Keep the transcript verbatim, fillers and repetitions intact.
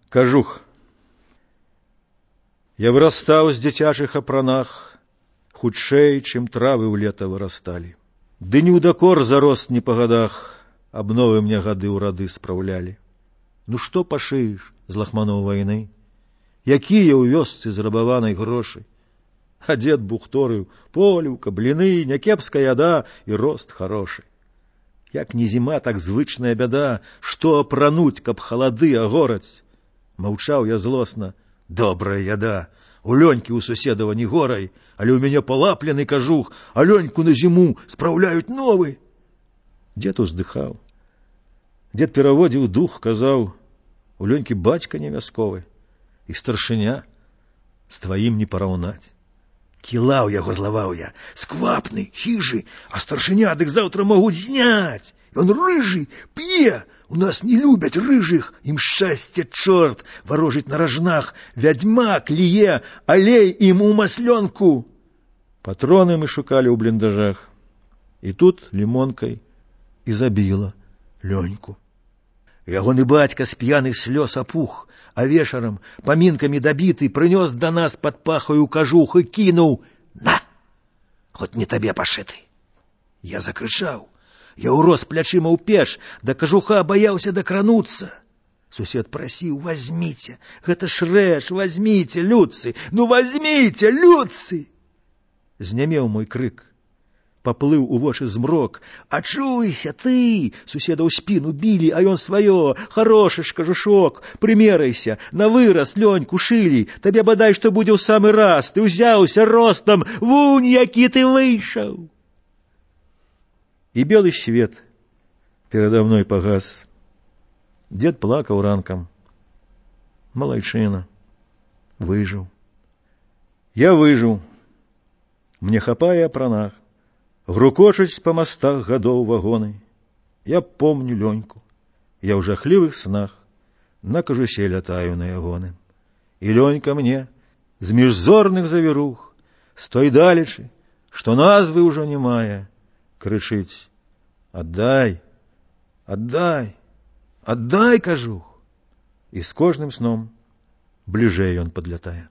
Кажух. Я вырастаў з дзіцячых апранах, хутчэй, чым травы ў лета вырасталі. Ды не ў дакор зарост не па гадах, абновы мне гады ў рады спраўлялі. Ну што пашыеш з лахманоў вайны? Якія ў вёсцы зрабаванай грошы? А дзед бухторыў: поліўка, бліны, някепская яда і рост харошы. Як не зіма, так звычная бяда, што апрануць, каб халады агораць. Маўчаў я злосна: добрая яда, у Лёнькі у суседава не горай, але ў мяне палаплены кажух, а Лёньку на зіму спраўляюць новы. Дзед уздыхаў. Дзед пераводзіў дух, казаў: у Лёнькі бацька не вясковы, і старшыня, з тваім не параўнаць. Кілаў яго злаваў я: сквапны, хіжы, а старшыня дык заўтра могуць зняць. Ён рыжы, п'е, у нас не любяць рыжых, ім шчасце чорт варожыць на ражнах, вядьмак лие, алей ім у маслёнку. Патроны мы шукалі ў бліндажах, і тут лімонкай і забіла Лёньку. Ягоны бацька з п'яных слёз апух, а вечарам, памінкамі дабіты, прынёс да нас пад пахаю кажух і кінуў: на, хоць не табе пашыты. Я закрычаў. Я ўрос плячыма ў печ, да кажуха баяўся дакрануцца. Сусед прасіў: возьміце, гэта ж рэч, возьміце, людцы, ну возьміце, людцы. Знямеў мой крык. Паплыў у вочы змрок. Ачуйся ты! Суседа ў спіну білі, а ён сваё: харошы ж кажушок, прымерайся, на выраз Лёньку шылі, табе бадай што будзе ў самы раз, ты ўзяўся ростам, вунь, які ты выйшаў. І белы свет перада мной пагас. Дзед плакаў ранкам. Малайчына. Выжыў. Я выжыў. Мне хапае апранах. Грукочуць па мастах гадоў вагоны. Я помню Лёньку. Я ў жахлівых снах на кажусе лятаю на ягоным. І Лёнька мне з міжзорных завірух, з той далечы, што назвы ўжо не мае, крычыць: аддай, аддай, аддай, кажух. І з кожным сном бліжэй ён падлятае.